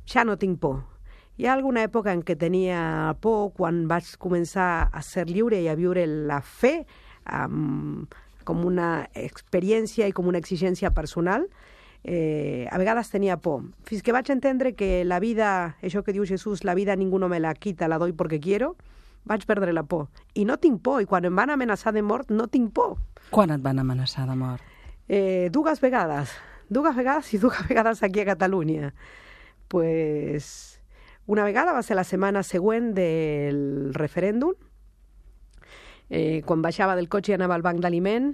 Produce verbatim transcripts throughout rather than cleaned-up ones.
ja no tinc por. Hi ha alguna època en què tenia por quan vaig començar a ser lliure i a viure la fe um, com una experiència i com una exigència personal. Eh, a vegades tenia por. Fins que vaig entendre que la vida, això que diu Jesús, la vida ningú no me la quita, la doy porque quiero, vaig perdre la por. I no tinc por, i quan em van amenaçar de mort no tinc por. Quan et van amenaçar de mort? Eh, dues vegades. Dues vegades i dues vegades aquí a Catalunya. Pues... Una vegada va ser la setmana següent del referèndum. Eh, quan baixava del cotxe i anava al banc d'aliment,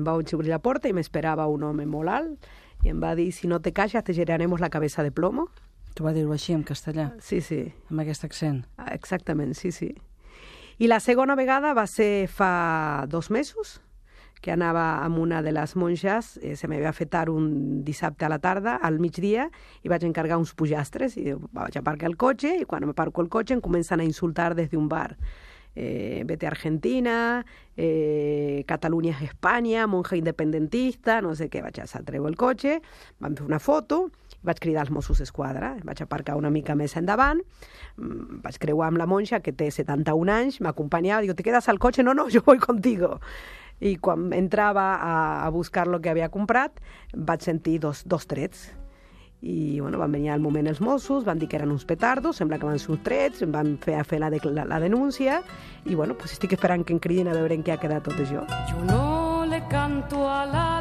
vaig obrir la porta i m'esperava un home molt alt i em va dir, si no te calles te giraremos la cabeza de plomo. Tu va dir-ho així, en castellà? Sí, sí. Amb aquest accent? Exactament, sí, sí. I la segona vegada va ser fa dos mesos, que anava amb una de les monges, eh, se m'havia fet tard un dissabte a la tarda, al migdia, i vaig encargar uns pollastres, i vaig aparcar el cotxe, i quan m'aparco el cotxe em comencen a insultar des d'un bar. Eh, vete a Argentina, eh, Catalunya és Espanya, monja independentista, no sé què, vaig a treu el cotxe, vam fer una foto, vaig cridar als Mossos d'Esquadra, vaig aparcar una mica més endavant, vaig creuar amb la monja, que té setanta-un anys, m'acompanyava, digo, ¿te quedas al cotxe? No, no, yo voy contigo. I quan entrava a, a buscar el que havia comprat, vaig sentir dos, dos trets. I bueno, van venir al moment els Mossos, van dir que eren uns petardos, sembla que van ser uns trets, em van fer a fer la, la, la denúncia, i bueno, pues estic esperant que em cridin a veure en què ha quedat tot això. Yo no le canto a la